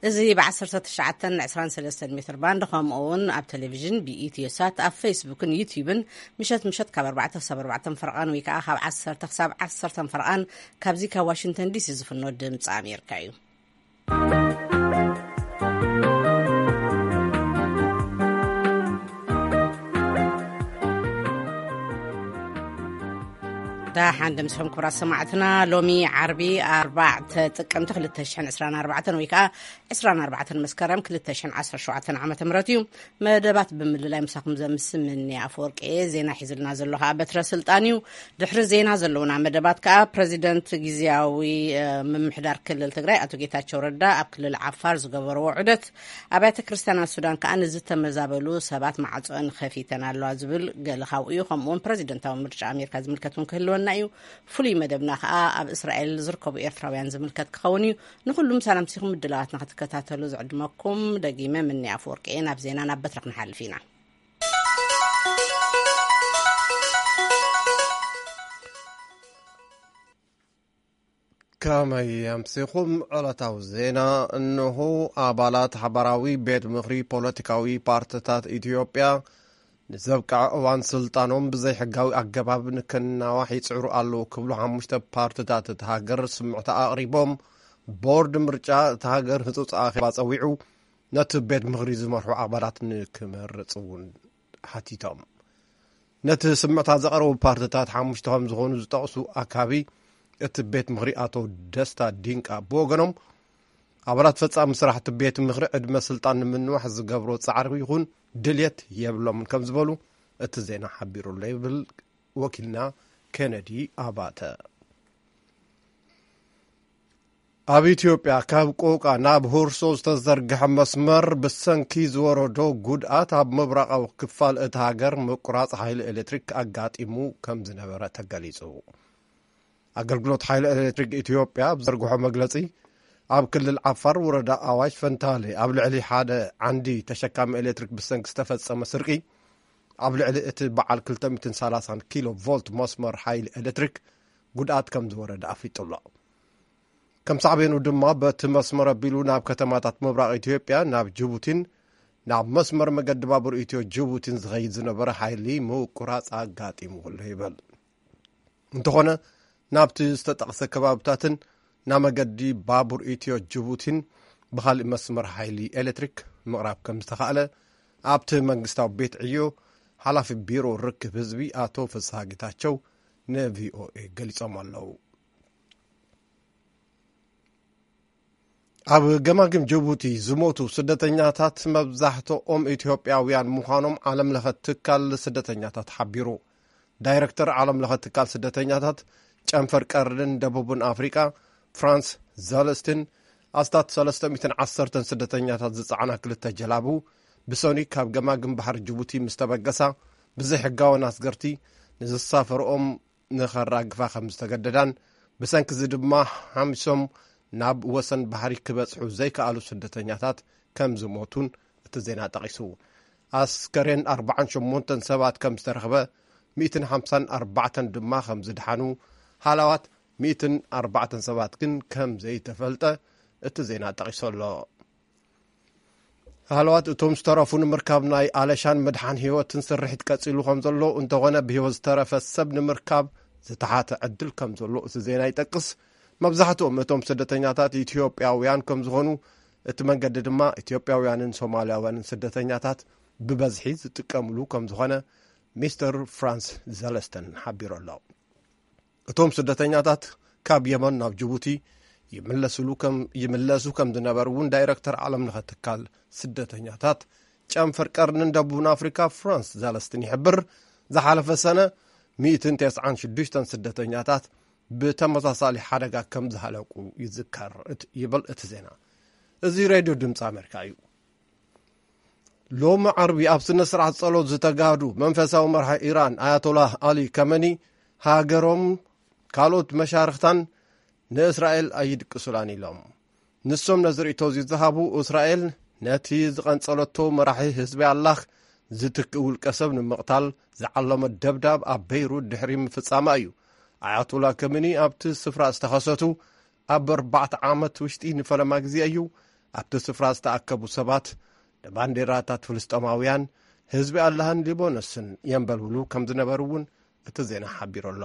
እዚ ብ19 23 ሜትር ባንድ፣ ከምኡ እውን ኣብ ቴሌቪዥን ብኢትዮ ሳት፣ ኣብ ፌስቡክን ዩቲዩብን ምሸት ምሸት ካብ ኣርባዕተ ክሳብ ኣርባዕተ ፈርቓን ወይ ከዓ ካብ ዓሰርተ ክሳብ ዓሰርተ ፈርቓን ካብዚ ካብ ዋሽንግተን ዲሲ ዝፍኖ ድምፂ ኣሜሪካ እዩ። ደሓን ድምፅኹም ክቡራት ሰማዕትና። ሎሚ ዓርቢ ኣርባዕተ ጥቅምቲ ክልተ ሽሕን ዕስራን ኣርባዕተን ወይ ከዓ ዕስራን ኣርባዕተን መስከረም ክልተ ሽሕን ዓሰርተ ሸውዓተን ዓመተ ምህረት እዩ። መደባት ብምልላይ ምሳኹም ዘምስል ምኒ ኣፈወርቂ እየ። ዜና ሒዝልና ዘሎ ከዓ በትረ ስልጣን እዩ። ድሕሪ ዜና ዘለውና መደባት ከዓ ፕረዚደንት ግዝያዊ፣ እ፣ ምምሕዳር ክልል ትግራይ ኣቶ ጌታቸው ረዳ ኣብ ክልል ዓፋር ዝገበርዎ ዑደት፣ ኣብያተ ክርስቲያናት ሱዳን ከዓ ንዝተመዛበሉ ሰባት ማዕጾን ከፊተን ኣለዋ ዝብል ገለ ካብኡ እዩ። ከምኡውን ፕረዚደንታዊ ምርጫ ኣሜሪካ ዝምልከት እውን ክህልወና እዩ። ፍሉይ መደብና ከዓ ኣብ እስራኤል ዝርከቡ ኤርትራውያን ዝምልከት ክኸውን እዩ። ንኹሉም ሰላም ሲኹም ምድላዋትና ክትከታተሉ ዝዕድመኩም ደጊመ ምኒ ኣፈወርቂ እየ። ናብ ዜና ናብ በትረ ክንሓልፍ ኢና። ከመይ ኣምሲኹም? ዕለታዊ ዜና እንሆ። ኣባላት ሓባራዊ ቤት ምኽሪ ፖለቲካዊ ፓርትታት ኢትዮጵያ ንዘብቅዐ እዋን ስልጣኖም ብዘይሕጋዊ ኣገባብ ንክናዋሕ ይጽዕሩ ኣለዉ ክብሉ ሓሙሽተ ፓርትታት እታ ሃገር ስምዕታ ኣቕሪቦም። ቦርድ ምርጫ እታ ሃገር ህጹጽ ኣኼባ ጸዊዑ ነቲ ቤት ምኽሪ ዝመርሑ ኣባላት ንክመርጽ እውን ሓቲቶም። ነቲ ስምዕታ ዘቕረቡ ፓርትታት ሓሙሽተ ከም ዝኾኑ ዝጠቕሱ ኣካቢ እቲ ቤት ምኽሪ ኣቶ ደስታ ዲንቃ ብወገኖም፣ ኣባላት ፈጻሚ ስራሕ እቲ ቤት ምኽሪ ዕድመ ስልጣን ንምንዋሕ ዝገብሮ ጻዕሪ ይኹን ድልየት የብሎምን ከም ዝበሉ እቲ ዜና ሓቢሩ ኣሎ ይብል ወኪልና ኬነዲ ኣባተ። ኣብ ኢትዮጵያ ካብ ቆቃ ናብ ሁርሶ ዝተዘርግሐ መስመር ብሰንኪ ዝወረዶ ጉድኣት ኣብ ምብራቓዊ ክፋል እታ ሃገር ምቁራጽ ሓይሊ ኤሌክትሪክ ኣጋጢሙ ከም ዝነበረ ተገሊጹ። ኣገልግሎት ሓይሊ ኤሌክትሪክ ኢትዮጵያ ኣብ ዘርግሖ መግለጺ፣ ኣብ ክልል ዓፋር ወረዳ ኣዋሽ ፈንታሌ ኣብ ልዕሊ ሓደ ዓንዲ ተሸካሚ ኤሌክትሪክ ብሰንኪ ዝተፈጸመ ስርቂ ኣብ ልዕሊ እቲ በዓል ክልተ ሚእትን ሰላሳን ኪሎ ቮልት መስመር ሓይሊ ኤሌክትሪክ ጉድኣት ከም ዝወረደ ኣፍሊጡ ኣሎ። ከም ሳዕቤኑ ድማ በቲ መስመር ኣቢሉ ናብ ከተማታት ምብራቕ ኢትዮጵያ ናብ ጅቡቲን ናብ መስመር መገዲ ባቡር ኢትዮ ጅቡቲን ዝኸይድ ዝነበረ ሓይሊ ምቁራጽ ኣጋጢሙ ኣሎ ይበል። እንተኾነ ናብቲ ዝተጠቕሰ ከባብታትን ናብ መገዲ ባቡር ኢትዮ ጅቡቲን ብኻልእ መስመር ሓይሊ ኤሌክትሪክ ምቕራብ ከም ዝተኻእለ ኣብቲ መንግስታዊ ቤት ዕዮ ሓላፊ ቢሮ ርክብ ህዝቢ ኣቶ ፍስሃ ጌታቸው ንቪኦኤ ገሊጾም ኣለዉ። ኣብ ገማግም ጅቡቲ ዝሞቱ ስደተኛታት መብዛሕትኦም ኢትዮጵያውያን ምዃኖም ዓለም ለኸ ትካል ስደተኛታት ሓቢሩ። ዳይረክተር ዓለም ለኸ ትካል ስደተኛታት ጨንፈር ቀርንን ደቡብን ኣፍሪቃ ፍራንስ ዘለስትን ኣስታት ሰለስተ ሚእትን ዓሰርተን ስደተኛታት ዝጸዓና ክልተ ጀላቡ ብሶኒ ካብ ገማግም ባሕሪ ጅቡቲ ምስ ተበገሳ ብዘይሕጋውያን ኣስገርቲ ንዝሳፈርኦም ንኸራግፋ ከም ዝተገደዳን ብሰንኪ እዚ ድማ ሓሚሶም ናብ ወሰን ባሕሪ ክበጽሑ ዘይከኣሉ ስደተኛታት ከም ዝሞቱን እቲ ዜና ጠቒሱ። ኣስከሬን ኣርባዓን ሸሞንተን ሰባት ከም ዝተረኽበ፣ ሚእትን ሓምሳን ኣርባዕተን ድማ ከም ዝደሓኑ፣ ሃለዋት ሚእትን ኣርባዕተን ሰባት ግን ከም ዘይተፈልጠ እቲ ዜና ጠቒሱ ኣሎ። ሃለዋት እቶም ዝተረፉ ንምርካብ ናይ ኣለሻን ምድሓን ህይወትን ስርሒት ቀጺሉ ከም ዘሎ፣ እንተኾነ ብህይወት ዝተረፈ ሰብ ንምርካብ ዝተሓተ ዕድል ከም ዘሎ እቲ ዜና ይጠቅስ። መብዛሕትኦም እቶም ስደተኛታት ኢትዮጵያውያን ከም ዝኾኑ፣ እቲ መንገዲ ድማ ኢትዮጵያውያንን ሶማልያውያንን ስደተኛታት ብበዝሒ ዝጥቀምሉ ከም ዝኾነ ሚስተር ፍራንስ ዘለስተን ሓቢሩ ኣሎ። እቶም ስደተኛታት ካብ የመን ናብ ጅቡቲ ይምለስሉ ከም፣ ይምለሱ ከም ዝነበሩ እውን ዳይረክተር ዓለም ለኸ ትካል ስደተኛታት ጨንፈር ቀርንን ደቡብን ኣፍሪካ ፍራንስ ዛለስትን ይሕብር። ዝሓለፈ ሰነ ሚእትን ተስዓን ሽዱሽተን ስደተኛታት ብተመሳሳሊ ሓደጋ ከም ዝሃለቁ ይዝከር፣ እት-፣ ይብል እቲ ዜና። እዚ ሬድዮ ድምፂ ኣሜሪካ እዩ። ሎሚ ዓርቢ ኣብ ስነ ስርዓት ጸሎት ዝተጋህዱ መንፈሳዊ መራሒ ኢራን ኣያቶላህ ኣሊ ከመኒ፣ ሃገሮም ካልኦት መሻርኽታን ንእስራኤል ኣይድቅሱላን ኢሎም። ንሶም ነዚ ርእይቶ እዚ ዝሃቡ፣ እስራኤል ነቲ ዝቐንጸለቶ መራሒ ህዝቢ ኣላህ ዝትክእ ውልቀ ሰብ ንምቕታል ዝዓለመ ደብዳብ ኣብ በይሩት ድሕሪ ምፍጻማ እዩ። ኣያቶላ ከመኒ ኣብቲ ስፍራ ዝተኸሰቱ ኣብ ኣርባዕተ ዓመት ውሽጢ ንፈለማ ግዜ እዩ። ኣብቲ ስፍራ ዝተኣከቡ ሰባት ንባንዴራታት ፍልስጤማውያን፣ ህዝቢ ኣላህን ሊባኖስን የንበልብሉ ከም ዝነበሩ እውን እቲ ዜና ሓቢሩ ኣሎ።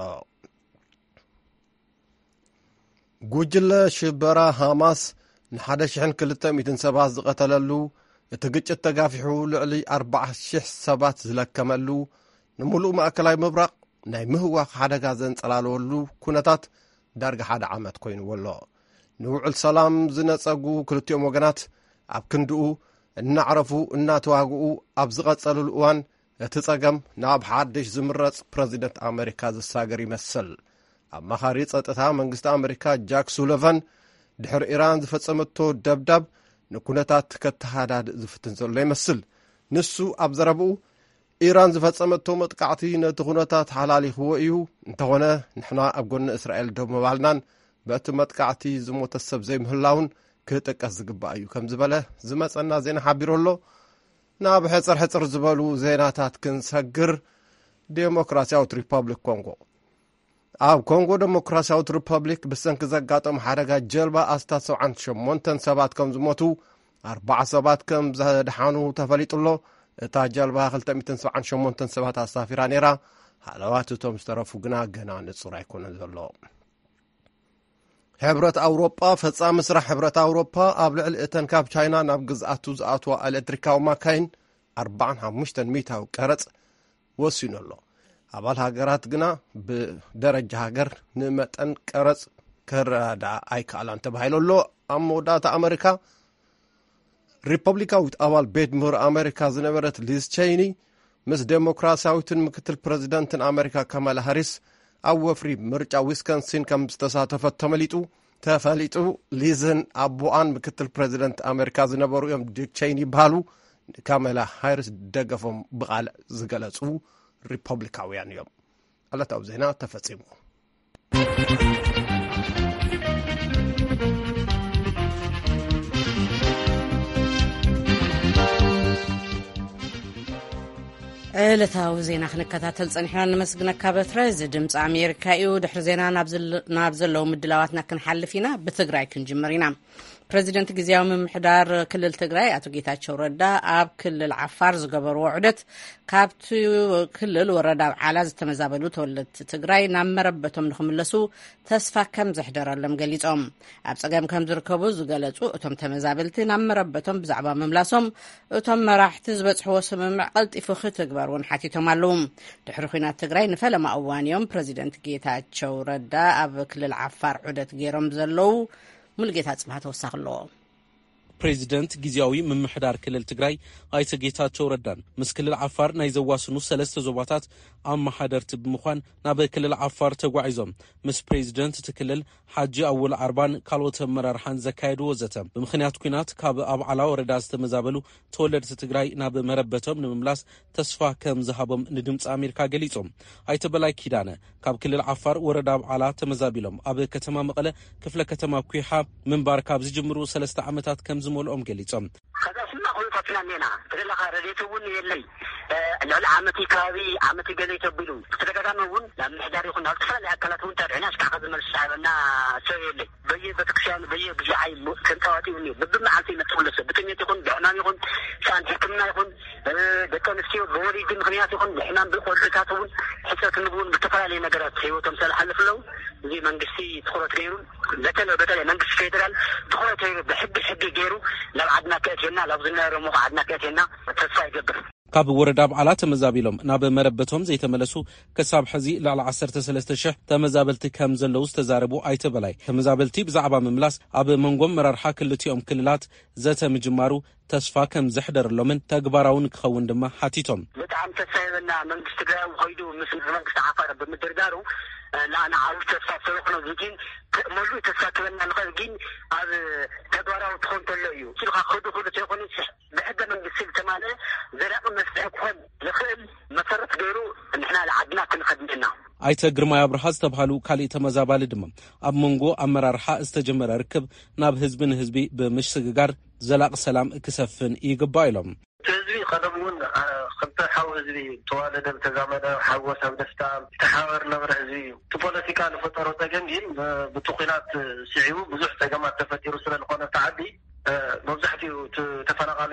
ጉጅለ ሽበራ ሃማስ ንሓደ ሽሕን ክልተ ሚእትን ሰባት ዝቐተለሉ፣ እቲ ግጭት ተጋፊሑ ልዕሊ ኣርባዓ ሽሕ ሰባት ዝለከመሉ፣ ንምሉእ ማእከላይ ምብራቕ ናይ ምህዋኽ ሓደጋ ዘንጸላለወሉ ኩነታት ዳርጋ ሓደ ዓመት ኮይንዎ ኣሎ። ንውዕል ሰላም ዝነጸጉ ክልቲኦም ወገናት ኣብ ክንድኡ እናዕረፉ እናተዋግኡ ኣብ ዝቐጸሉሉ እዋን፣ እቲ ጸገም ናብ ሓድሽ ዝምረጽ ፕረዚደንት ኣመሪካ ዝሳገር ይመስል። ኣማኻሪ ጸጥታ መንግስቲ ኣመሪካ ጃክ ሱሊቫን፣ ድሕሪ ኢራን ዝፈጸመቶ ደብዳብ ንኩነታት ከተሃዳድእ ዝፍትን ዘሎ ይመስል። ንሱ ኣብ ዘረብኡ፣ ኢራን ዝፈጸመቶ መጥቃዕቲ ነቲ ኩነታት ሓላሊኽዎ እዩ። እንተኾነ፣ ንሕና ኣብ ጎኒ እስራኤል ደው ምባልናን በቲ መጥቃዕቲ ዝሞተ ሰብ ዘይምህላውን ክጥቀስ ዝግባእ እዩ ከም ዝበለ ዝመጸና ዜና ሓቢሩ ኣሎ። ናብ ሕጽር ሕጽር ዝበሉ ዜናታት ክንሰግር፣ ዴሞክራሲያዊት ሪፐብሊክ ኮንጎ። ኣብ ኮንጎ ዴሞክራሲያዊት ሪፐብሊክ ብሰንኪ ዘጋጠሙ ሓደጋ ጀልባ ኣስታት ሰብዓን ሸሞንተን ሰባት ከም ዝሞቱ፣ ኣርባዓ ሰባት ከም ዘድሓኑ ተፈሊጡ ኣሎ። እታ ጀልባ ክልተ ሚእትን ሰብዓን ሸሞንተን ሰባት ኣሳፊራ ነይራ። ሃለዋት እቶም ዝተረፉ ግና ገና ንጹር ኣይኮነን ዘሎ። ሕብረት ኣውሮጳ፣ ፈጻሚ ስራሕ ሕብረት ኣውሮጳ ኣብ ልዕሊ እተን ካብ ቻይና ናብ ግዝኣቱ ዝኣትዋ ኤሌክትሪካዊ ማካይን ኣርባዓን ሓሙሽተን ሚእታዊ ቀረጽ ወሲኑ ኣሎ። ኣባል ሃገራት ግና ብደረጃ ሃገር ንመጠን ቀረጽ ክረዳ ኣይከኣላን ተባሂሉ ኣሎ። ኣብ መወዳእታ ኣመሪካ፣ ሪፐብሊካዊት ኣባል ቤት ምሁር ኣመሪካ ዝነበረት ሊዝ ቸይኒ ምስ ዴሞክራሲያዊትን ምክትል ፕረዚደንትን ኣመሪካ ካማላ ሃሪስ ኣብ ወፍሪ ምርጫ ዊስኮንሲን ከም ዝተሳተፈት ተመሊጡ ተፈሊጡ። ሊዝን ኣቦኣን ምክትል ፕረዚደንት ኣመሪካ ዝነበሩ እዮም። ዲክ ቸይኒ ይበሃሉ። ንካማላ ሃሪስ ደገፎም ብቓል ዝገለጹ ሪፐብሊካውያን እዮም። ዕለታዊ ዜና ተፈጺሙ። ዕለታዊ ዜና ክንከታተል ጸኒሕና። ንመስግነካ በትረ። እዚ ድምፂ ኣሜሪካ እዩ። ድሕሪ ዜና ናብ ዘለ-፣ ናብ ዘለዉ ምድላዋትና ክንሓልፍ ኢና። ብትግራይ ክንጅምር ኢና። ፕረዚደንት ግዝያዊ ምምሕዳር ክልል ትግራይ ኣቶ ጌታቸው ረዳ ኣብ ክልል ዓፋር ዝገበርዎ ዑደት፣ ካብቲ ክልል ወረዳ ኣብዓላ ዝተመዛበሉ ተወለድቲ ትግራይ ናብ መረበቶም ንኽምለሱ ተስፋ ከም ዘሕደረሎም ገሊጾም። ኣብ ጸገም ከም ዝርከቡ ዝገለጹ እቶም ተመዛበልቲ፣ ናብ መረበቶም ብዛዕባ ምምላሶም እቶም መራሕቲ ዝበጽሕዎ ስምምዕ ቀልጢፉ ክትግበር እውን ሓቲቶም ኣለዉ። ድሕሪ ኲናት ትግራይ ንፈለማ እዋን እዮም ፕረዚደንት ጌታቸው ረዳ ኣብ ክልል ዓፋር ዑደት ገይሮም ዘለዉ። ሙሉጌታ ጽብሃ ተወሳኺ ኣለዎ። ፕሬዚደንት ግዝያዊ ምምሕዳር ክልል ትግራይ ኣይተ ጌታቸው ረዳን ምስ ክልል ዓፋር ናይ ዘዋስኑ ሰለስተ ዞባታት ኣመሓደርቲ ብምዃን ናብ ክልል ዓፋር ተጓዒዞም ምስ ፕሬዚደንት እቲ ክልል ሓጂ ኣወል ዓርባን ካልኦት ኣመራርሓን ዘካየድዎ ዘተ፣ ብምኽንያት ኲናት ካብ ኣብዓላ ወረዳ ዝተመዛበሉ ተወለድቲ ትግራይ ናብ መረበቶም ንምምላስ ተስፋ ከም ዝሃቦም ንድምፂ ኣሜሪካ ገሊጾም። ኣይተ በላይ ኪዳነ ካብ ክልል ዓፋር ወረዳ ኣብዓላ ተመዛቢሎም ኣብ ከተማ መቐለ ክፍለ ከተማ ኲሓ ምንባር ካብ ዝጅምሩ ሰለስተ ዓመታት ከም ዝመልኦም ገሊጾም። ከዛ ስማ ኩነታትና እኔና ተደለኻ ረድኤት እውን የለይ። እ፣ ልዕሊ ዓመት ከባቢ ዓመት ገለ ተቢሉ ብተደጋጋሚ እውን ናብ ምሕዳር ይኹን ናብ ዝተፈላለዩ ኣካላት እውን ተድዕና እስካዕ ከዚ መልሲ ዝሃበና ሰብ የለይ። በየ ቤተክርስትያኑ በየ ብዚዓይ ተንጠዋጢቡ እኒኦ። ብብመዓልቲ ይመፅእ ኩሎ ሰብ ብጥሜት ይኹን ብሕማም ይኹን ሰኣን ሕክምና ይኹን፣ እ፣ ደቂ ኣንስትዮ ብወሊድ ምኽንያት ይኹን ብሕማም ብቆልዑታት እውን ሕፀት ምግቢ እውን ብዝተፈላለዩ ነገራት ህይወቶም ስለዝሓልፍ ኣለዉ። እዚ መንግስቲ ትኹረት ገይሩ በተለይ በተለይ መንግስቲ ፌደራል ትኹረት ገይሩ ብሕጊ ሕጊ ገይሩ ናብ ዓድና ከእትየና ናብ ዝነበረ ሞኸ ዓድና ከእትየና ተስፋ ይገብር። ካብ ወረዳ ኣብዓላ ተመዛቢሎም ናብ መረበቶም ዘይተመለሱ ክሳብ ሕዚ ልዕሊ ዓሰርተ ሰለስተ ሽሕ ተመዛበልቲ ከም ዘለዉ ዝተዛረቡ ኣይተ በላይ፣ ተመዛበልቲ ብዛዕባ ምምላስ ኣብ መንጎ ኣመራርሓ ክልቲኦም ክልላት ዘተ ምጅማሩ ተስፋ ከም ዘሕደረሎምን ተግባራውን ክኸውን ድማ ሓቲቶም። ብጣዕሚ ተስፋ ይበና መንግስቲ ትግራይ ከይዱ ምስ መንግስቲ ዓፋር ብምድርዳሩ፣ እ፣ ንዓና ዓብዪ ተስፋ ስለኾነ፣ እዚ ግን ተ-፣ መሉእ ተስፋ ክበና ንኽእል ግን ኣብ ተግባራዊ ትኾን ተሎ እዩ። እሱ ከዓ ክዱ ክዱ ተይኮነ ብሕገ መንግስቲ ዝተማልአ ዘላቂ መፍትሒ ክኾን ዝኽእል መሰረት ገይሩ ንሕና ንዓድና ክንኸድ እኒአና። ኣይተ ግርማይ ኣብርሃ ዝተብሃሉ ካሊእ ተመዛባሊ ድማ፣ ኣብ መንጎ ኣመራርሓ ዝተጀመረ ርክብ ናብ ህዝቢ ንህዝቢ ብምሽግጋር ዘላቂ ሰላም ክሰፍን ይግባእ ኢሎም። እቲ ህዝቢ ቀደም እውን፣ አ፣ ክልተ ሓው ህዝቢ ተዋለደ፣ ዝተዛመደ፣ ሓጎስ ኣብ ደስታ ዝተሓባበር ነበረ ህዝቢ እዩ። እቲ ፖለቲካ ዝፈጠሮ ጸገም ግን ብ-፣ ብቲ ኲናት ስዒቡ ብዙሕ ጸገማት ተፈጢሩ ስለ ዝኾነ እቲ ዓዲ መብዛሕትኡ እቲ ተፈናቓሊ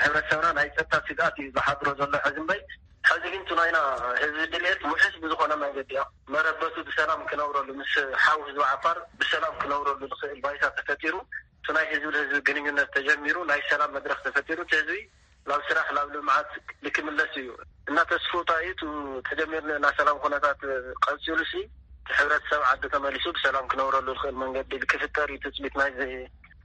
ሕብረተሰብና ናይ ጸጥታ ስግኣት እዩ ዝሓድሮ ዘሎ። ሕዚ እምበይ፣ ሕዚ ግን እቲ ናይና ህዝቢ ድልየት ውሕስ ብዝኾነ መንገዲ እያ። መረበቱ ብሰላም ክነብረሉ፣ ምስ ሓው ህዝቢ ዓፋር ብሰላም ክነብረሉ ዝኽእል ባይታ ተፈጢሩ፣ እቲ ናይ ህዝቢ ንህዝቢ ግንኙነት ተጀሚሩ፣ ናይ ሰላም መድረኽ ተፈጢሩ፣ እቲ ህዝቢ ናብ ስራሕ፣ ናብ ልምዓት ልክምለስ እዩ እና ተስፍኡ እዩ። እቲ ተጀሚሩ እና ሰላም ኩነታት ቀጺሉ ሲ፣ እቲ ሕብረተሰብ ዓዲ ተመሊሱ ብሰላም ክነብረሉ ዝኽእል መንገዲ ክፍጠር እዩ ትጽቢት ናይ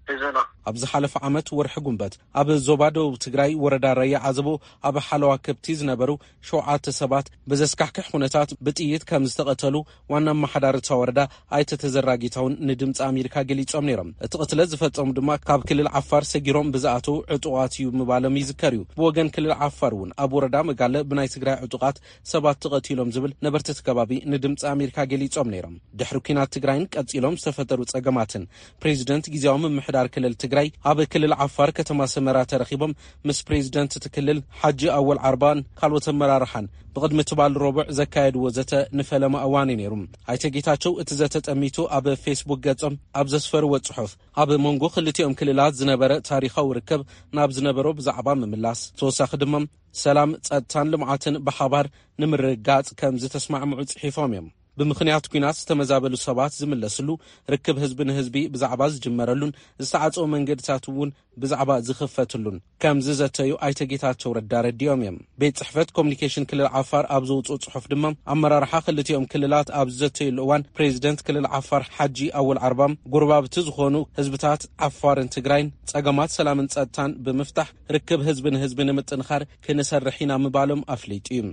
ህዝብና። ኣብ ዝሓለፈ ዓመት ወርሒ ጉንበት ኣብ ዞባ ደቡብ ትግራይ ወረዳ ራያ ዓዘቦ ኣብ ሓለዋ ከብቲ ዝነበሩ ሸውዓተ ሰባት ብዘስካሕክሕ ኩነታት ብጥይት ከም ዝተቐተሉ ዋና ኣመሓዳሪ እታ ወረዳ ኣይተ ተዘራ ጌታሁን ንድምፂ ኣሜሪካ ገሊፆም ነይሮም። እቲ ቅትለት ዝፈፀሙ ድማ ካብ ክልል ዓፋር ሰጊሮም ብዝኣተዉ ዕጡቓት እዩ ምባሎም ይዝከር እዩ። ብወገን ክልል ዓፋር እውን ኣብ ወረዳ መጋለ ብናይ ትግራይ ዕጡቓት ሰባት ተቐቲሎም ዝብል ነበርቲ እቲ ከባቢ ንድምፂ ኣሜሪካ ገሊፆም ነይሮም። ድሕሪ ኲናት ትግራይን ቀፂሎም ዝተፈጠሩ ፀገማትን ፕሬዚደንት ግዜያዊ ምምሕዳር ክልል ትግራይ ኣብ ክልል ዓፋር ከተማ ሰመራ ተረኺቦም ምስ ፕሬዚደንት እቲ ክልል ሓጂ ኣወል ዓርባን ካልኦት ኣመራርሓን ብቕድሚ ትባል ረቡዕ ዘካየድዎ ዘተ ንፈለማ እዋን እዩ ነይሩ። ኣይተ ጌታቸው እቲ ዘተ ጠሚቱ ኣብ ፌስቡክ ገጾም ኣብ ዘስፈርዎ ጽሑፍ፣ ኣብ መንጎ ክልቲኦም ክልላት ዝነበረ ታሪኻዊ ርክብ ናብ ዝነበሮ ብዛዕባ ምምላስ፣ ተወሳኺ ድማ ሰላም፣ ጸጥታን ልምዓትን ብሓባር ንምርግጋጽ ከም ዝተስማዕምዑ ጽሒፎም እዮም። ብምኽንያት ኲናት ዝተመዛበሉ ሰባት ዝምለስሉ፣ ርክብ ህዝቢ ንህዝቢ ብዛዕባ ዝጅመረሉን ዝተዓጸወ መንገድታት እውን ብዛዕባ ዝኽፈትሉን ከም ዝዘተዩ ኣይተ ጌታቸው ረዳ ረዲኦም እዮም። ቤት ጽሕፈት ኮሚኒኬሽን ክልል ዓፋር ኣብ ዘውፅኦ ጽሑፍ ድማ ኣመራርሓ ክልቲኦም ክልላት ኣብ ዝዘተዩሉ እዋን ፕሬዚደንት ክልል ዓፋር ሓጂ ኣወል ዓርባም ጎረባብቲ ዝኾኑ ህዝብታት ዓፋርን ትግራይን ጸገማት ሰላምን ጸጥታን ብምፍታሕ ርክብ ህዝቢ ንህዝቢ ንምጥንኻር ክንሰርሕ ኢና ምባሎም ኣፍሊጡ እዩ።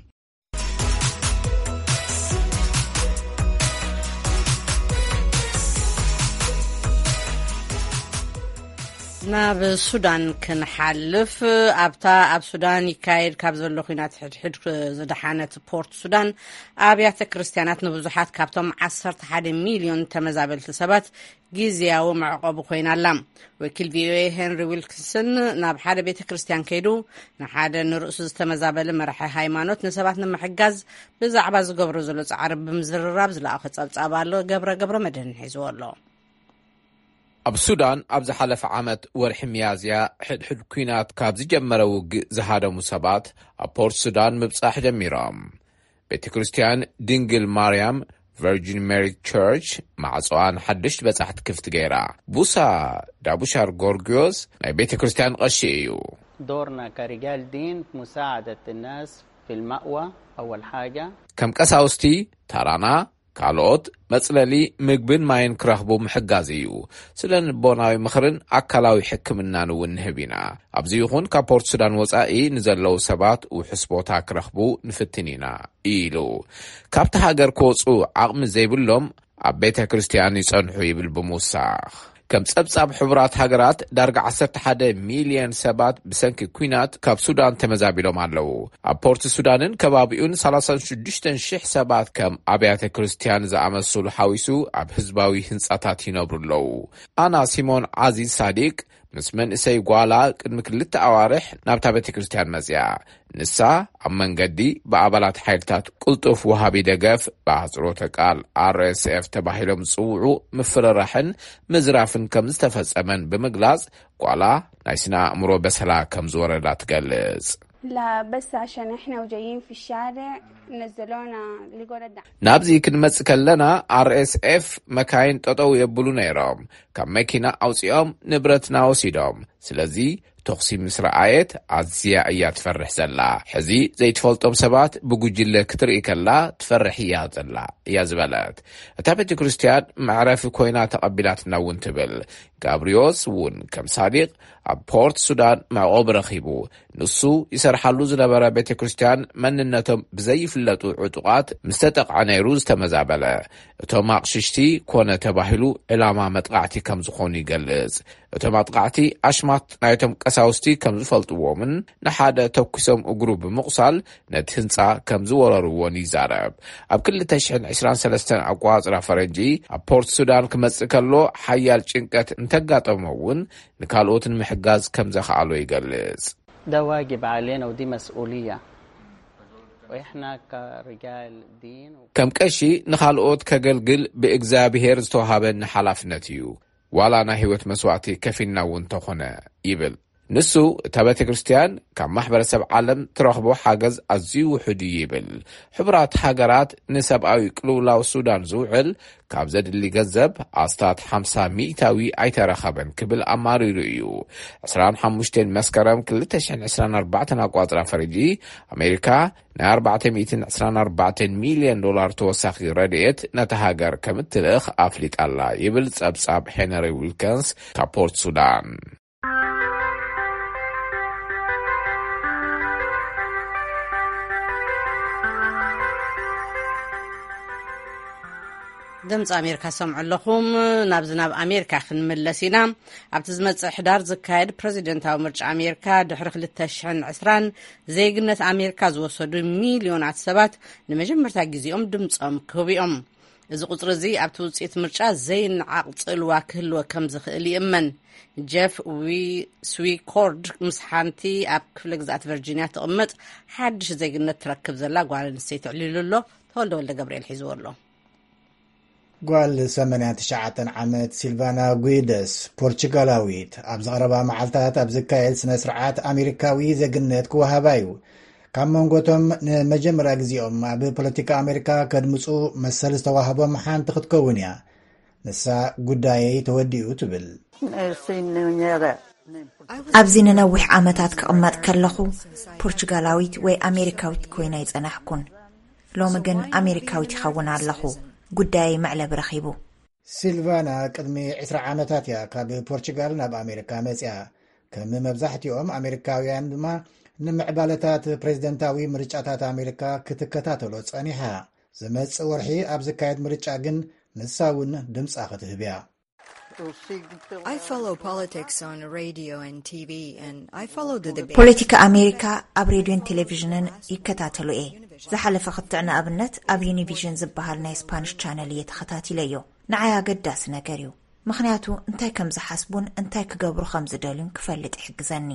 ናብ ሱዳን ክንሓልፍ፣ ኣብታ ኣብ ሱዳን ይካየድ ካብ ዘሎ ኲናት ሕድሕድ ዝደሓነት ፖርት ሱዳን፣ ኣብያተ ክርስትያናት ንብዙሓት ካብቶም ዓሰርተ ሓደ ሚልዮን ተመዛበልቲ ሰባት ግዝያዊ መዕቆቢ ኮይና ኣላ። ወኪል ቪኦኤ ሄንሪ ዊልኪንሰን ናብ ሓደ ቤተ ክርስትያን ከይዱ፣ ንሓደ ንርእሱ ዝተመዛበለ መራሒ ሃይማኖት ንሰባት ንምሕጋዝ ብዛዕባ ዝገብሮ ዘሎ ጻዕሪ ብምዝርራብ ዝለኣኸ ጸብጻብ ኣሎ። ገብረ ገብረ መድህን ሒዝዎ ኣሎ። ኣብ ሱዳን ኣብ ዝሓለፈ ዓመት ወርሒ ሚያዝያ ሕድሕድ ኲናት ካብ ዝጀመረ ውግእ ዝሃደሙ ሰባት ኣብ ፖርት ሱዳን ምብጻሕ ጀሚሮም። ቤተ ክርስትያን ድንግል ማርያም፣ ቨርጂን ሜሪ ቸርች፣ ማዕጾኣን ሓድሽ በጻሕቲ ክፍቲ ገይራ። ቡሳ ዳቡሻር ጎርጊዮስ ናይ ቤተ ክርስትያን ቐሺ እዩ። دورنا كرجال دين مساعدة الناس في المأوى أول حاجة. ከም ቀሳውስቲ፣ ታራና ካልኦት መጽለሊ፣ ምግብን ማይን ክረኽቡ ምሕጋዝ እዩ። ስነ ልቦናዊ ምኽርን ኣካላዊ ሕክምናን እውን ንህብ ኢና። ኣብዚ ይኹን ካብ ፖርት ሱዳን ወጻኢ ንዘለዉ ሰባት ውሑስ ቦታ ክረኽቡ ንፍትን ኢና፣ ኢሉ። ካብቲ ሃገር ክወጹ ዓቕሚ ዘይብሎም ኣብ ቤተ ክርስትያን ይጸንሑ ይብል ብምውሳኽ። ከም ጸብጻብ ሕቡራት ሃገራት ዳርጋ ዓሰርተ ሓደ ሚልዮን ሰባት ብሰንኪ ኲናት ካብ ሱዳን ተመዛቢሎም ኣለዉ። ኣብ ፖርት ሱዳንን ከባቢኡን ሰላሳ ሽዱሽተ ሺሕ ሰባት ከም ኣብያተ ክርስትያን ዝኣመሰሉ ሓዊሱ ኣብ ህዝባዊ ህንጻታት ይነብሩ ኣለዉ። ኣና ሲሞን ዓዚዝ ሳዲቅ ምስ መንእሰይ ጓላ ቅድሚ ክልተ ኣዋርሕ ናብታ ቤተ ክርስትያን መጽያ። ንሳ ኣብ መንገዲ ብኣባላት ሓይልታት ቅልጡፍ ወሃቢ ደገፍ፣ ብኣህጽሮተ ቃል ኣር ኤስ ኤፍ ተባሂሎም ዝጽውዑ፣ ምፍርራሕን ምዝራፍን ከም ዝተፈጸመን ብምግላጽ፣ ጓላ ናይ ስነ ኣእምሮ በሰላ ከም ዝወረዳ ትገልጽ። لا، بس عشان إحنا وجايين في الشارع نزلونا، لقونا الدعم. ናብዚ ክንመጽእ ከለና ኣር ኤስ ኤፍ መካይን ጠጠው የብሉ ነይሮም። ካብ መኪና ኣውጺኦም ንብረትና ወሲዶም። ስለዚ ተኹሲ ምስ ረኣየት ኣዝያ እያ ትፈርሕ ዘላ። ሕዚ ዘይትፈልጦም ሰባት ብጉጅለ ክትርኢ ከላ ትፈርሕ እያ ዘላ፣ እያ ዝበለት። እታ ቤተ ክርስትያን መዕረፊ ኮይና ተቐቢላትና እውን ትብል። ጋብሪዮስ እውን ከም ሳዲቕ ኣብ ፖርት ሱዳን መዕቆቢ ረኺቡ። ንሱ ይሰርሓሉ ዝነበረ ቤተ ክርስትያን መንነቶም ብዘይፍለጡ ዕጡቓት ምስ ተጠቕዐ ነይሩ ዝተመዛበለ። እቶም ኣቕሽሽቲ ኮነ ተባሂሉ ዕላማ መጥቓዕቲ ከም ዝኾኑ ይገልጽ። እቶም ኣጥቃዕቲ ኣሽማት ናይቶም ቀሳውስቲ ከም ዝፈልጥዎምን ንሓደ ተኩሶም እግሩ ብምቑሳል ነቲ ህንጻ ከም ዝወረርዎን ይዛረብ። ኣብ ክልተ ሽሕን ዕስራን ሰለስተን ኣቋጽራ ፈረንጂ ኣብ ፖርት ሱዳን ክመጽእ ከሎ ሓያል ጭንቀት እንተጋጠሞ እውን ንካልኦት ንምሕጋዝ ከም ዘኽኣሎ ይገልጽ። ده واجب علينا ودي مسؤولية. وإحنا كرجال دين و- ከም ቀሺ ንኻልኦት ከገልግል ብእግዚኣብሔር ዝተዋሃበኒ ሓላፍነት እዩ። ዋላ ናይ ህይወት መስዋእቲ ከፊልና እውን ተኾነ ይብል። ንሱ፣ እታ ቤተ ክርስቲያን ካብ ማሕበረሰብ ዓለም ትረኽቦ ሓገዝ ኣዝዩ ውሑድ እዩ ይብል። ሕቡራት ሃገራት ንሰብኣዊ ቅልውላው ሱዳን ዝውዕል ካብ ዘድሊ ገንዘብ ኣስታት ሓምሳ ሚእታዊ ኣይተረኸበን ክብል ኣማሪሩ እዩ። ዕስራን ሓሙሽተን መስከረም ክልተ ሽሕን ዕስራን ኣርባዕተን ኣቋጽራ ፈረጂ፣ ኣሜሪካ ናይ ኣርባዕተ ሚእትን ዕስራን ኣርባዕተን ሚልዮን ዶላር ተወሳኺ ረድኤት ነታ ሃገር ከም እትልእኽ ኣፍሊጣ ኣላ ይብል ጸብጻብ ሄነሪ ዊልከንስ ካብ ፖርት ሱዳን። ድምፂ ኣሜሪካ ሰምዑ ኣለኹም። ናብዚ ናብ ኣሜሪካ ክንምለስ ኢና። ኣብቲ ዝመፅእ ሕዳር ዝካየድ ፕሬዚደንታዊ ምርጫ ኣሜሪካ ድሕሪ ክልተ ሽሕን ዕስራን ዜግነት ኣሜሪካ ዝወሰዱ ሚልዮናት ሰባት ንመጀመርታ ግዜኦም ድምፆም ክህቡ እዮም። እዚ ቁፅሪ እዚ ኣብቲ ውፅኢት ምርጫ ዘይነዓቕ ጽልዋ ክህልዎ ከም ዝኽእል ይእመን። ጀፍ ዊ- ስዊኮርድ ምስ ሓንቲ ኣብ ክፍለ ግዝኣት ቨርጂንያ ትቕመጥ ሓድሽ ዜግነት ትረክብ ዘላ ጓል ኣንስተይቲ ኣዕሊሉ ኣሎ። ተወልደ ወልደ ገብርኤል ሒዝዎ ኣሎ። ጓል ሰማንያን ትሽዓተን ዓመት ሲልቫና ጉይደስ፣ ፖርቹጋላዊት፣ ኣብ ዝቐረባ መዓልታት ኣብ ዝካየድ ስነ ስርዓት ኣሜሪካዊ ዜግነት ክወሃባ እዩ። ካብ መንጎቶም ንመጀመርያ ግዜኦም ኣብ ፖለቲካ ኣሜሪካ ከድምፁ መሰል ዝተዋህቦም ሓንቲ ክትከውን እያ። ንሳ፣ ጉዳየይ ተወዲኡ፣ ትብል። ኣብዚ ንነዊሕ ዓመታት ክቕመጥ ከለኹ፣ ፖርቹጋላዊት ወይ ኣሜሪካዊት ኮይነ ኣይጸናሕኩን። ሎሚ ግን ኣሜሪካዊት ይኸውን ኣለኹ። ጉዳየይ መዕለቢ ረኺቡ። ሲልቫና ቅድሚ ዕስራ ዓመታት እያ ካብ ፖርቹጋል ናብ ኣሜሪካ መጽያ። ከም መብዛሕትኦም ኣሜሪካውያን ድማ፣ ንምዕባለታት ፕሬዝደንታዊ ምርጫታት ኣሜሪካ ክትከታተሎ ጸኒሓ። ዝመጽእ ወርሒ ኣብ ዝካየድ ምርጫ ግን ንሳ እውን ድምጻ ክትህብ እያ። I follow politics on radio and T V, and I follow the debate. ፖለቲካ ኣሜሪካ ኣብ ሬድዮን ቴሌቪዥንን ይከታተሎ እየ። ዝሓለፈ ክትዕ ንኣብነት ኣብ ዩኒቪዥን ዝበሃል ናይ ስፓኒሽ ቻነል እየ ተኸታቲለዮ። ንዓይ ኣገዳሲ ነገር እዩ፣ ምኽንያቱ እንታይ ከም ዝሓስቡን እንታይ ክገብሩ ከም ዝደልዩን ክፈልጥ ይሕግዘኒ።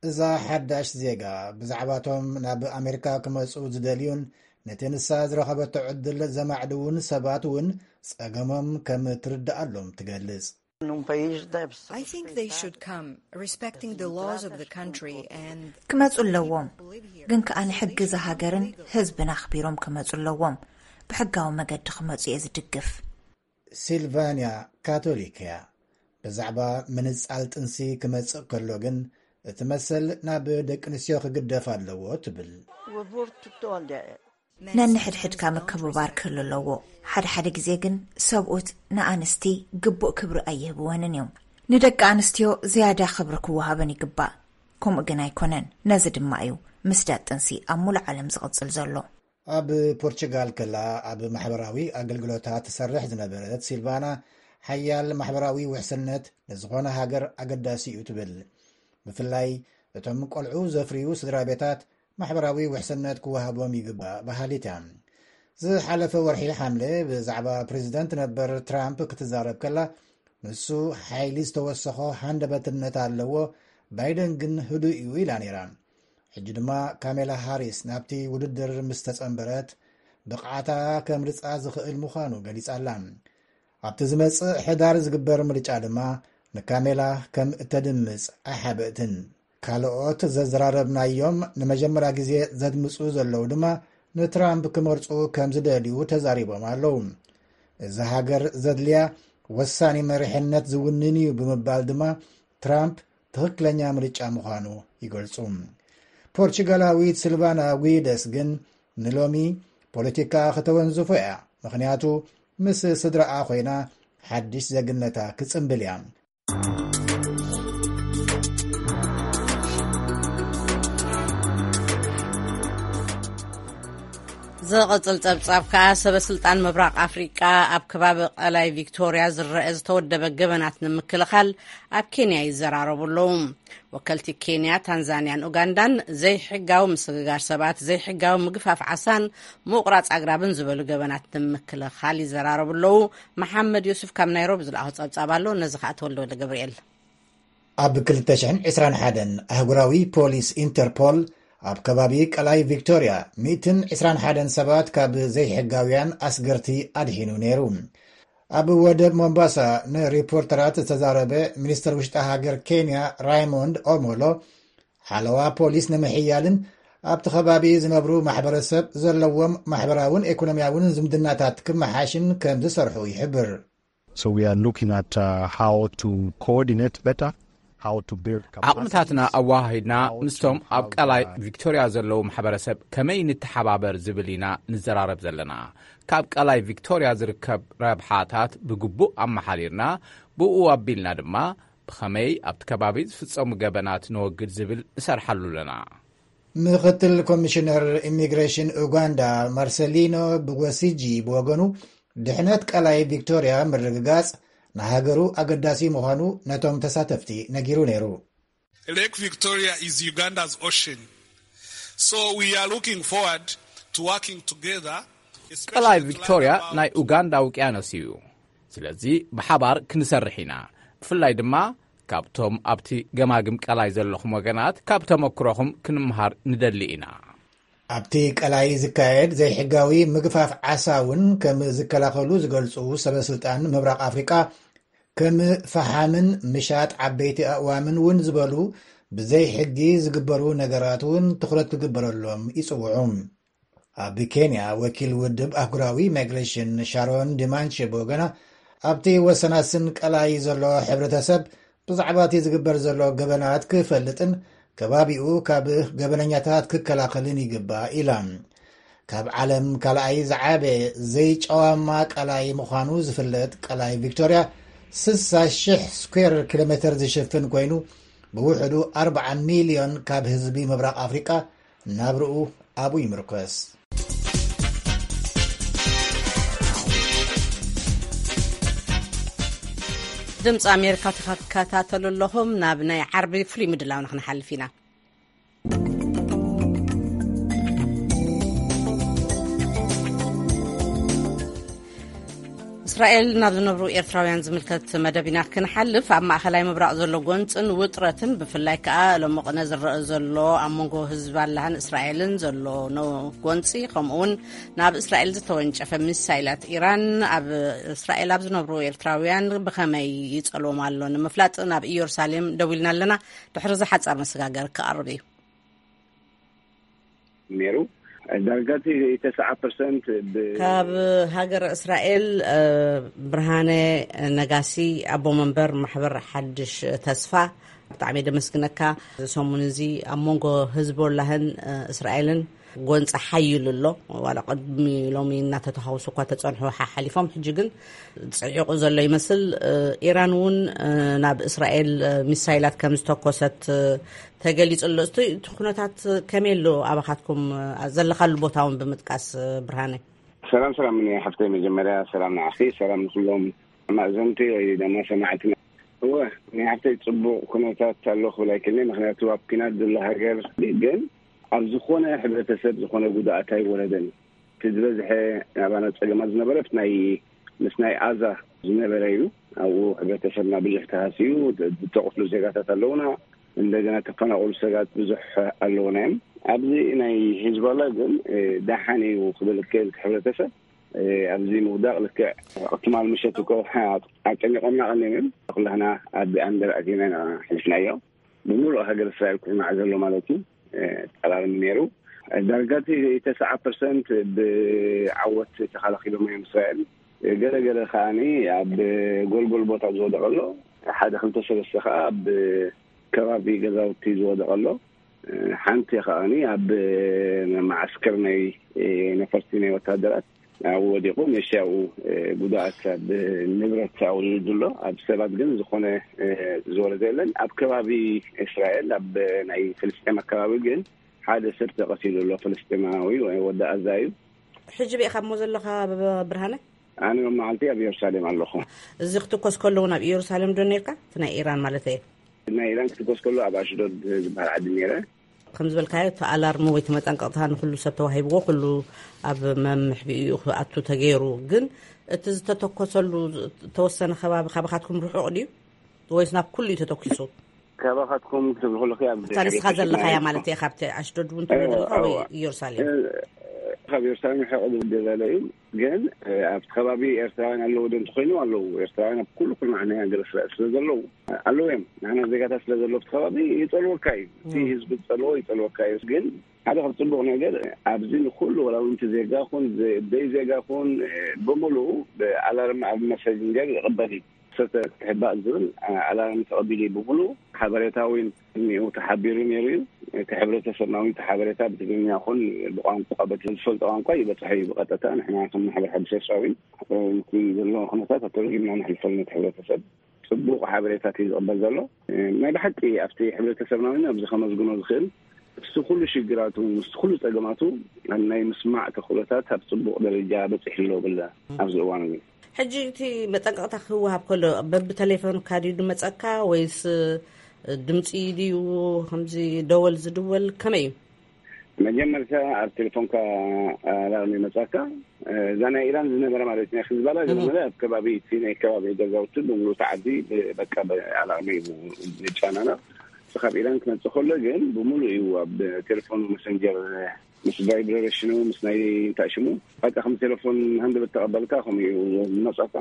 እዛ ሓዳሽ ዜጋ፣ ብዛዕባቶም ናብ ኣሜሪካ ክመጹ ዝደልዩን ነቲ ንሳ ዝረኸበቶ ዕድል ዘማዕድዉን ሰባት እውን ጸገሞም ከም ትርድኣሎም ትገልጽ። I think they should come, respecting the laws of the country and ክመጹ ኣለዎም፣ ግን ከኣ ንሕጊ እዛ ሃገርን ህዝብን ኣኽቢሮም ክመጹ ኣለዎም። ብሕጋዊ መገዲ ክመጹ እየ ዝድግፍ። ሲልቫንያ ካቶሊክ እያ። ብዛዕባ ምንጻል ጥንሲ ክመጽእ ከሎ ግን፣ እቲ መሰል ናብ ደቂ ኣንስትዮ ክግደፍ ኣለዎ ትብል። ነንሕድሕድካ ምክብባር ክህሉ ኣለዎ። ሓደ ሓደ ግዜ ግን ሰብኡት ንኣንስቲ ግቡእ ክብሪ ኣይህብወንን እዮም። ንደቂ ኣንስትዮ ዝያዳ ክብሪ ክወሃበን ይግባእ። ከምኡ ግን ኣይኮነን። ነዚ ድማ እዩ ምስዳድ ጥንሲ ኣብ ሙሉእ ዓለም ዝቕጽል ዘሎ። ኣብ ፖርቹጋል ከላ፣ ኣብ ማሕበራዊ ኣገልግሎታት ትሰርሕ ዝነበረት ሲልቫና፣ ሓያል ማሕበራዊ ውሕስነት ንዝኾነ ሃገር ኣገዳሲ እዩ ትብል። ብፍላይ እቶም ቆልዑ ዘፍርዩ ስድራ ቤታት ማሕበራዊ ውሕስነት ክወሃቦም ይግባእ በሃሊት እያ። ዝሓለፈ ወርሒ ሓምለ ብዛዕባ ፕሬዚደንት ነበር ትራምፕ ክትዛረብ ከላ፣ ንሱ ሓይሊ ዝተወሰኾ ሃንደበትነት ኣለዎ፣ ባይደን ግን ህዱእ እዩ ኢላ ነይራ። ሕጂ ድማ ካሜላ ሃሪስ ናብቲ ውድድር ምስ ተጸንበረት፣ ብቕዓታ ከምርጻ ዝኽእል ምዃኑ ገሊጻ ኣላ። ኣብቲ ዝመጽእ ሕዳር ዝግበር ምርጫ ድማ ንካሜላ ከም እተድምጽ ኣይሓበእትን። ካልኦት ዘዘራረብናዮም ንመጀመርያ ግዜ ዘድምጹ ዘለዉ ድማ ንትራምፕ ክመርጹ ከም ዝደልዩ ተዛሪቦም ኣለዉ። እዛ ሃገር ዘድልያ ወሳኒ መሪሕነት ዝውንን እዩ ብምባል ድማ ትራምፕ ትኽክለኛ ምርጫ ምዃኑ ይገልጹ። ፖርቹጋላዊት ሲልቫና ጉይደስ ግን ንሎሚ ፖለቲካ ከተወንዝፎ እያ፣ ምኽንያቱ ምስ ስድራኣ ኮይና ሓድሽ ዜግነታ ክጽንብል እያ። ዝቕጽል ጸብጻብ ከኣ፣ ሰበ ስልጣን ምብራቕ ኣፍሪቃ ኣብ ከባቢ ቀላይ ቪክቶርያ ዝረአ ዝተወደበ ገበናት ንምክልኻል ኣብ ኬንያ ይዘራረቡ ኣለዉ። ወከልቲ ኬንያ፣ ታንዛንያን ኡጋንዳን ዘይሕጋዊ ምስግጋር ሰባት፣ ዘይሕጋዊ ምግፋፍ ዓሳን ምቑራጽ ኣግራብን ዝበሉ ገበናት ንምክልኻል ይዘራረቡ ኣለዉ። መሓመድ ዮሱፍ ካብ ናይሮቢ ዝለኣኾ ጸብጻብ ኣሎ። ነዚ ከኣ ተወልደ ወልደ ገብርኤል። ኣብ ክልተ ሽሕን ዕስራን ሓደን ኣህጉራዊ ፖሊስ ኢንተርፖል ኣብ ከባቢ ቀላይ ቪክቶርያ ሚእትን ዕስራን ሓደን ሰባት ካብ ዘይሕጋውያን ኣስገርቲ ኣድሒኑ ነይሩ። ኣብ ወደብ ሞምባሳ ንሪፖርተራት ዝተዛረበ ሚኒስትር ውሽጢ ሃገር ኬንያ ራይሞንድ ኦሞሎ፣ ሓለዋ ፖሊስ ንምሕያልን ኣብቲ ከባቢ ዝነብሩ ማሕበረሰብ ዘለዎም ማሕበራውን ኢኮኖሚያውን ዝምድናታት ክመሓሽን ከም ዝሰርሑ ይሕብር። So we are looking at uh, how to coordinate better, how to build capacity. ዓቕምታትና ኣወሃሂድና ምስቶም ኣብ ቀላይ ቪክቶርያ ዘለዉ ማሕበረሰብ ከመይ ንተሓባበር ዝብል ኢና ንዘራረብ ዘለና። ካብ ቀላይ ቪክቶርያ ዝርከብ ረብሓታት ብግቡእ ኣመሓዲርና፣ ብኡ ኣቢልና ድማ ብኸመይ ኣብቲ ከባቢ ዝፍጸሙ ገበናት ነወግድ ዝብል ንሰርሓሉ ኣለና። ምክትል ኮሚሽነር ኢሚግሬሽን ኡጋንዳ ማርሰሊኖ ብጎሲጂ ብወገኑ፣ ድሕነት ቀላይ ቪክቶርያ ምርግጋጽ ንሃገሩ ኣገዳሲ ምዃኑ ነቶም ተሳተፍቲ ነጊሩ ነይሩ። Lake Victoria is Uganda's ocean, so we are looking forward to working together. ቀላይ ቪክቶርያ ናይ ኡጋንዳ ውቅያኖስ እዩ። ስለዚ ብሓባር ክንሰርሕ ኢና። ብፍላይ ድማ ካብቶም ኣብቲ ገማግም ቀላይ ዘለኹም ወገናት ካብ ተመክሮኹም ክንምሃር ንደሊ ኢና። ኣብቲ ቀላይ ዝካየድ ዘይሕጋዊ ምግፋፍ ዓሳ እውን ከም ዝከላኸሉ ዝገልጹ ሰበስልጣን ምብራቕ ኣፍሪቃ፣ ከም ፈሓምን ምሻጥ ዓበይቲ ኣእዋምን እውን ዝበሉ ብዘይ ሕጊ ዝግበሩ ነገራት እውን ትኹረት ክግበረሎም ይጽውዑ። ኣብ ኬንያ ወኪል ውድብ ኣህጉራዊ ማይግሬሽን ሻሮን ዲማንቼ ብወገና፣ ኣብቲ ወሰናስን ቀላይ ዘሎ ሕብረተሰብ ብዛዕባ እቲ ዝግበር ዘሎ ገበናት ክፈልጥን ከባቢኡ ካብ ገበነኛታት ክከላኸልን ይግባእ ኢላ። ካብ ዓለም ካልኣይ ዝዓበ ዘይጨዋማ ቀላይ ምዃኑ ዝፍለጥ ቀላይ ቪክቶርያ፣ ስሳ ሽሕ ስኩዌር ኪሎ ሜትር ዝሽፍን ኮይኑ፣ ብውሕዱ ኣርብዓ ሚልዮን ካብ ህዝቢ ምብራቕ ኣፍሪቃ ናብርኡ ኣብኡ ይምርኮስ። ድምፂ ኣሜሪካ ትከታተሉ ኣለኹም። ናብ ናይ ዓርቢ ፍሉይ ምድላውና ክንሓልፍ ኢና። እስራኤል ናብ ዝነብሩ ኤርትራውያን ዝምልከት መደብ ኢና ክንሓልፍ። ኣብ ማእኸላይ ምብራቕ ዘሎ ጎንፅን ውጥረትን፣ ብፍላይ ከኣ ሎሚ ቅነ ዝረአ ዘሎ ኣብ መንጎ ህዝባላህን እስራኤልን ዘሎ ጎንፂ፣ ከምኡውን ናብ እስራኤል ዝተወንጨፈ ሚሳይላት ኢራን ኣብ እስራኤል ኣብ ዝነብሩ ኤርትራውያን ብኸመይ ይጸልዎም ኣሎ ንምፍላጥ ናብ ኢየሩሳሌም ደዊልና ኣለና። ድሕሪ እዚ ሓጻር መሰጋገር ክቐርብ እዩ። ነይሩ። ዳርጋ እቲ ተስዓ ፐርሰንት ብ- ካብ ሃገር እስራኤል። ብርሃነ ነጋሲ፣ ኣቦ መንበር ማሕበር ሓድሽ ተስፋ፣ ብጣዕሚ ደመስግነካ። ሰሙን እዚ ኣብ መንጎ ህዝቦላህን እስራኤልን ጎንፂ ሓይሉ ኣሎ። ዋላ ቅድሚ ሎሚ እናተተሃውሱ እኳ ተፀንሑ ሓሓሊፎም፣ ሕጂ ግን ፅዒቑ ዘሎ ይመስል። ኢራን እውን ናብ እስራኤል ሚሳይላት ከም ዝተኮሰት ተገሊጹ ኣሎ። እቲ እቲ ኩነታት ከመይ ኣሎ? ኣባኻትኩም ዘለኻሉ ቦታ እውን ብምጥቃስ፣ ብርሃነ። ሰላም ሰላም፣ ኒ ሓፍተይ፣ መጀመርያ ሰላም ንዓኺ፣ ሰላም ንኩሎም ኣማእዘንቲ ወይ ድማ ሰማዕትና። እወ፣ ኒ ሓፍተይ፣ ጽቡቕ ኩነታት ኣሎ ክብል ኣይክእልን፣ ምኽንያቱ ኣብ ኲናት ዘሎ ሃገር። ግን ኣብ ዝኾነ ሕብረተሰብ ዝኾነ ጉድኣት ኣይወረደን። እቲ ዝበዝሐ ናባና ጸገማት ዝነበረት ናይ ምስ ናይ ኣዛ ዝነበረ እዩ። ኣብኡ ሕብረተሰብና ብዙሕ ተሃስዩ፣ ዝተቐትሉ ዜጋታት ኣለውና። እንደገና ተፈናቐሉ ሰባት ብዙሕ ኣለውና እዮም። ኣብዚ ናይ ሂዝባላ ግን ደሓን እዩ ክብል ክእል። እቲ ሕብረተሰብ ኣብዚ ምውዳቕ ልክዕ ትማል ምሸት እኮ ኣጨኒቖምና ቀኒዮም እዮም። ኩላህና ኣብ ኣንደር ኣቲና ኢና ሕሊፍናዮ። ብምሉእ ሃገር እስራኤል ኩርናዕ ዘሎ ማለት እዩ። ጠላልም ነይሩ። ዳርጋ እቲ ተስዓ ፐርሰንት ብዓወት ተኸላኺሎም እዮም እስራኤል። ገለ ገለ ከዓኒ ኣብ ጎልጎል ቦታ ዝወደቐ ኣሎ። ሓደ ክልተ ሰለስተ ከኣ ኣብ ከባቢ ገዛውቲ ዝወደቐ ኣሎ። ሓንቲ ከዓኒ ኣብ መዓስከር ናይ ነፈርቲ ናይ ወታደራት ኣብኡ ወዲቑ፣ መሻኡ ጉድኣት ኣብ ንብረት ኣብኡ ዝውድሎ፣ ኣብ ሰባት ግን ዝኾነ ዝወረደ የለን። ኣብ ከባቢ እስራኤል ኣብ ናይ ፍልስጤም ኣከባቢ ግን ሓደ ሰብ ተቐቲሉ ኣሎ፣ ፍልስጤማዊ ወይ ወዲ ኣዛ እዩ። ሕጂ ርኢኻሞ ዘለኻ ብ-፣ ብርሃነ? ኣነ መዓልቲ ኣብ ኢየሩሳሌም ኣለኹ። እዚ ክትኮስ ከሎ እውን ኣብ ኢየሩሳሌም ዶ ነርካ? እቲ ናይ ኢራን ማለት እየ። ናይ ኢራን ክትኮስ ከሎ ኣብ ኣሽዶድ ዝበሃል ዓዲ ነይረ። ከም ዝበልካዮ እቲ ኣላርሚ ወይ እቲ መጠንቀቕታ ንኩሉ ሰብ ተዋሂብዎ፣ ኩሉ ኣብ መምሕቢኡ ክኣቱ ተገይሩ። ግን እቲ ዝተተኮሰሉ ዝተወሰነ ከባቢ ካባኻትኩም ርሑቕ ድዩ ወይስ ናብ ኩሉ እዩ ተተኪሱ? ካባኻትኩም ክትብሉ ከለኺ ኣብ እታ ንስኻ ዘለኻያ ማለት እየ፣ ካብቲ ኣሽዶድ እውን ትብሎ ዘለኻ ወይ ኢየሩሳሌም? ኣብ ኤርትራውያን ርሕቕ ዝብል ዘሎ እዩ። ግን ኣብቲ ከባቢ ኤርትራውያን ኣለዉ ዶ እንተኮይኑ ኣለዉ። ኤርትራውያን ኣብ ኩሉ ኩሉ መዓናይ ሃገር እስራኤል ስለ ዘለዉ ኣለዉ እዮም። ንሕና ዜጋታት ስለ ዘሎ ኣብቲ ከባቢ ይጸልወካ እዩ። እቲ ህዝቢ ዝጸልዎ ይጸልወካ እዩ። ግን ሓደ ካብ ጽቡቕ ነገር ኣብዚ ንኩሉ ወላ እውን እቲ ዜጋ ኩን ዘይ ዜጋ ኩን ብምሉኡ ብኣላርም ኣብ መሰጅንገር ይቕበል እዩ። ሰተ ትሕባእ ዝብል ኣላርም ተቐቢሉ እዩ። ብምሉኡ ሓበሬታ እውን እኒኡ ተሓቢሩ ነይሩ እዩ። እቲ ሕብረተሰብና እውን እቲ ሓበሬታ ብትግርኛ ኩን ብቋንቋ በቲ ዝፈልጦ ቋንቋ ይበፅሐ እዩ ብቐጥታ። ንሕና ከም ማሕበር ሓድሽ ኤርትራዊ እቲ ዘሎ ኩነታት ኣተርጊምና ነሕልፈሉ ነቲ ሕብረተሰብ ጽቡቕ ሓበሬታት እዩ ዝቕበል ዘሎ። ናይ ብሓቂ ኣብቲ ሕብረተሰብና እውን ኣብዚ ከመዝግኖ ዝኽእል ምስቲ ኩሉ ሽግራቱ ምስቲ ኩሉ ጸገማቱ ናይ ምስማዕ ተኽእሎታት ኣብ ጽቡቕ ደረጃ በጺሑ ኣሎ ብለ ኣብዚ እዋን እዚ። ሕጂ እቲ መጠንቀቕታ ክወሃብ ከሎ በብተሌፎንካ ድዩ ዝመጸካ ወይስ ድምጺ ድዩ ከምዚ ደወል ዝድወል ከመይ እዩ? መጀመርታ ኣብ ቴሌፎንካ ኣላርም ይመጻካ። እዛ ናይ ኢራን ዝነበረ ማለት ናይ ሒዝባላ ዝነበረ ኣብ ከባቢ እቲ ናይ ከባቢ ገዛውቲ ብምሉእ እቲ ዓዲ ብ- በቃ ብኣላርም እዩ ዝጫናና። ካብ ኢራን ክመጽእ ከሎ ግን ብምሉእ እዩ ኣብ ቴሌፎን መሰንጀር ምስ ቫይብሬሽኑ ምስ ናይ እንታይ ሽሙ በቃ ከም ቴሌፎን ሃንደበት ተቐበልካ ከምኡ እዩ ዝመጻካ።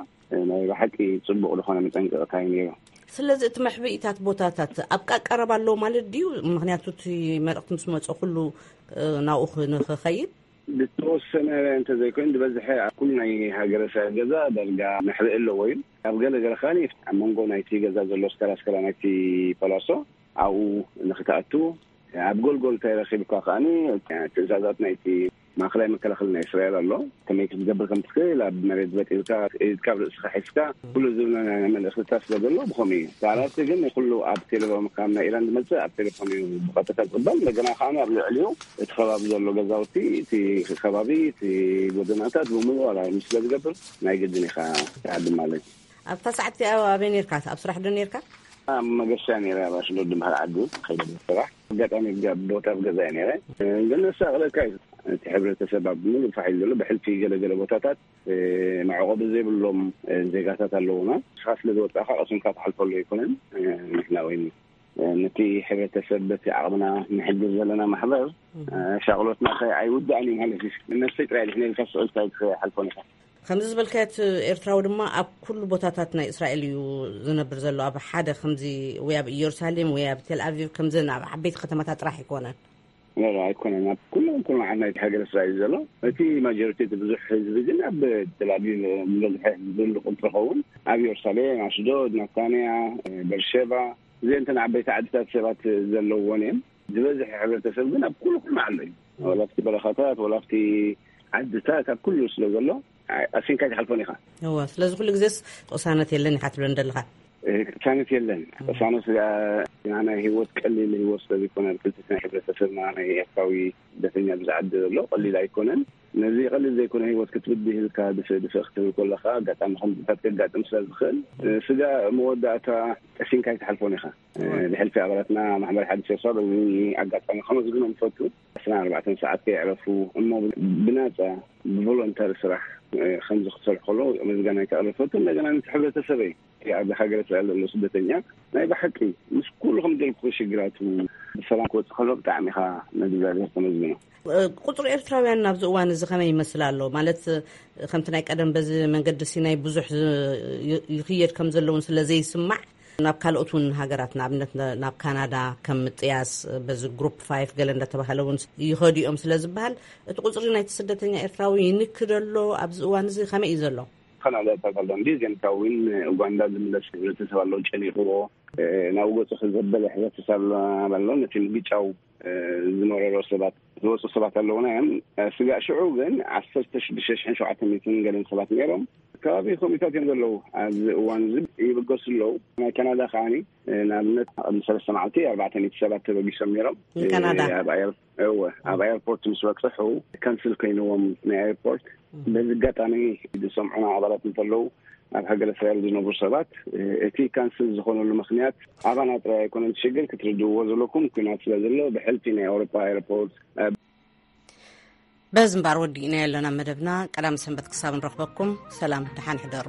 ናይ ብሓቂ ጽቡቕ ዝኾነ መጠንቀቕታ እዩ ነይሩ። ስለዚ እቲ መሕብኢታት ቦታታት ኣብ ቀረባ ኣለዎ ማለት ድዩ? ምክንያቱ እቲ መልእኽቲ ምስ መጾ ኩሉ ናብኡ ንክኸይድ ብተወሰነ እንተዘይኮይኑ ዝበዝሐ ኣብ ኩሉ ናይ ሃገረ ሰብ ገዛ ዳርጋ መሕብኢ ኣለዎ እዩ። ኣብ ገለ ገለ ከኣ ኣብ መንጎ ናይቲ ገዛ ዘሎ ስከላ ስከላ ናይቲ ፓላሶ ኣብኡ ንክትኣቱ ኣብ ጎልጎል እንታይ ረኺብካ ከኣ ትእዛዛት ናይቲ ማእከላይ መከላኸሊ ናይ እስራኤል ኣሎ። ከመይ ክትገብር ከም ትኽእል ኣብ መሬት በጢልካ ኢድካ ኣብ ርእስኻ ሒዝካ ኩሉ ዝብለ መልእኽትታት ስለ ዘሎ ብኸምኡ እዩ። ካልኣት ግን ኩሉ ኣብ ቴሌፎን ካብ ናይ ኢራን ዝመጽእ ኣብ ቴሌፎን እዩ ብቐጥታ ዝቕበል። እንደገና ከኣ ኣብ ልዕሊኡ እቲ ከባቢ ዘሎ ገዛውቲ እቲ ከባቢ እቲ ጎደናታት ብምሉእ ኣላርም ስለ ዝገብር ናይ ግድን ኢኻ ትዓቢ ማለት እዩ። ኣብታ ሰዓት እቲኣ ኣበይ ነርካ? ኣብ ስራሕ ዶ ነርካ? ኣብ መገሻ ነይረ ኣብ ኣሽዶድ ዝበሃል ዓዲ ከይደ ስራሕ ኣጋጣሚ ቦታ ኣብ ገዛ ነይረ። ግን ዘሳቕለካ እዩ እቲ ሕብረተሰብ ኣብ ምሉእ ፋሕ ኢሉ ዘሎ ብሕልፊ ገለገለ ቦታታት መዕቆቢ ዘይብሎም ዜጋታት ኣለውና። ንስኻ ስለ ዝወጻእካ ቀሲንካ ትሓልፈሉ ኣይኮነን። ንሕና ወይ ነቲ ሕብረተሰብ በቲ ዓቕምና ንሕግዝ ዘለና ማሕበር ሻቕሎትና ከ ኣይውዳእን እዩ ማለት እዩ። ንነፍሰይ ጥራይ ድሕነ ኢልካ ስቕ ኢልካ ኣይትሓልፎን ኢኻ። ከምዚ ዝበልካዮ እቲ ኤርትራዊ ድማ ኣብ ኩሉ ቦታታት ናይ እስራኤል እዩ ዝነብር ዘሎ። ኣብ ሓደ ከምዚ ወይ ኣብ ኢየሩሳሌም ወይ ኣብ ቴልኣቪቭ ከምዘን ኣብ ዓበይቲ ከተማታት ጥራሕ ኣይኮነን። ኖ ኣይኮነን። ኣብ ኩሎም ኩሎም ዓድ ናይቲ ሃገር እስራኤል ዘሎ እቲ ማጆሪቲ እቲ ብዙሕ ህዝቢ ግን ኣብ ቴልኣቪቭ ዝበዝሐ ህዝቢ ቁፅሪ ኸውን ኣብ ኢየሩሳሌም ኣሽዶድ ናታንያ በርሸባ እዚአን እተን ዓበይቲ ዓድታት ሰባት ዘለውዎን እዮም። ዝበዝሐ ሕብረተሰብ ግን ኣብ ኩሉ ኩሉ ዓሎ እዩ። ወላ ኣብቲ በረኻታት ወላ ኣብቲ ዓድታት ኣብ ኩሉ ስለ ዘሎ ኣሲንካ ይትሓልፎን ኢኻ። እወ ስለዚ ኩሉ ግዜስ ቅሳነት የለን ኢኻ ትብለን ዘለኻ። ቅሳነት የለን። ቅሳነት ናይ ህይወት ቀሊል ህይወት ስለዘይኮነ ክልቲት ናይ ሕብረተሰብና ናይ ኤርትራዊ ስደተኛ ብዝዓዲ ዘሎ ቀሊል ኣይኮነን። ነዚ ቀሊል ዘይኮነ ህይወት ክትብድህ ኢልካ ድፍእ ድፍእ ክትብል ከለካ ኣጋጣሚ ከምዚታት ከጋጥም ስለ ዝኽእል ስጋ መወዳእታ ቀሲንካ ኣይትሓልፎን ኢኻ። ብሕልፊ ኣባላትና ማሕበር ሓድሽ ኤርትራ በዚ ኣጋጣሚ ከመስግኖም ይፈቱ። ዕስራን ኣርባዕተን ሰዓት ከየዕረፉ እሞ ብናፃ ብቮሎንተሪ ስራሕ ከምዚ ክሰርሑ ከለዉ ምስጋና ከቕርብ ይፈቱ። እንደገና ነቲ ሕብረተሰበይ ኣብ ሃገረ እስራኤል ዘሎ ስደተኛ ናይ ብሓቂ ምስ ኩሉ ከም ደልኩ ሽግራቱ ብሰላም ክወፅእ ከሎ ብጣዕሚ ኢኻ ንእግዚኣብሔር ተመስግኖ። ቁፅሪ ኤርትራውያን ናብዚ እዋን እዚ ከመይ ይመስል ኣሎ? ማለት ከምቲ ናይ ቀደም በዚ መንገዲ ሲናይ ብዙሕ ይኽየድ ከም ዘለውን ስለ ዘይስማዕ ናብ ካልኦት እውን ሃገራት ንኣብነት ናብ ካናዳ ከም ምጥያስ በዚ ግሩፕ ፋይፍ ገለ እንዳተባሃለ እውን ይኸዱ እዮም ስለ ዝበሃል እቲ ቁፅሪ ናይቲ ስደተኛ ኤርትራዊ ይንክድ ኣሎ ኣብዚ እዋን እዚ ከመይ እዩ ዘሎ? ካናዳታት ኣሎ እንዲ ዜንታ እውን ኡጋንዳ ዝምለስ ህብረተሰብ ኣሎ ጨኒቕዎ ናብኡ ገፁ ክዘበለ ሕብረተሰብ ኣሎ ኣሎ ነቲ ምግጫው ዝመረሮ ሰባት ዝወፁ ሰባት ኣለውና እዮም። ስጋእ ሽዑ ግን ዓሰርተ ሽዱሽተ ሽሕን ሸውዓተ ሚእትን ገለን ሰባት ነይሮም። ከባቢ ኮሚታት እዮም ዘለዉ። ኣብዚ እዋን እዚ ይብገሱ ኣለዉ። ናይ ካናዳ ከዓኒ ንኣብነት ቅድሚ ሰለስተ መዓልቲ ኣርባዕተ ሚእቲ ሰባት ተበጊሶም ነይሮም። ንካናዳ? ኣብ ኣየር እወ ኣብ ኣየርፖርት ምስ በፅሑ ካንስል ኮይንዎም ናይ ኣየርፖርት። በዚ ኣጋጣሚ ዝሰምዑና ኣባላት እንተለዉ ኣብ ሃገረ እስራኤል ዝነብሩ ሰባት እቲ ካንስል ዝኾነሉ ምክንያት ኣባና ጥራይ ኣይኮነን ሽግር ክትርድእዎ ዘለኩም ኩናት ስለ ዘሎ ብሕልፊ ናይ ኣውሮፓ ኣየርፖርት በዚ እምባር ወዲእና ኣለና መደብና ቀዳም ሰንበት ክሳብ ንረኽበኩም ሰላም ደሓን ሕደሩ።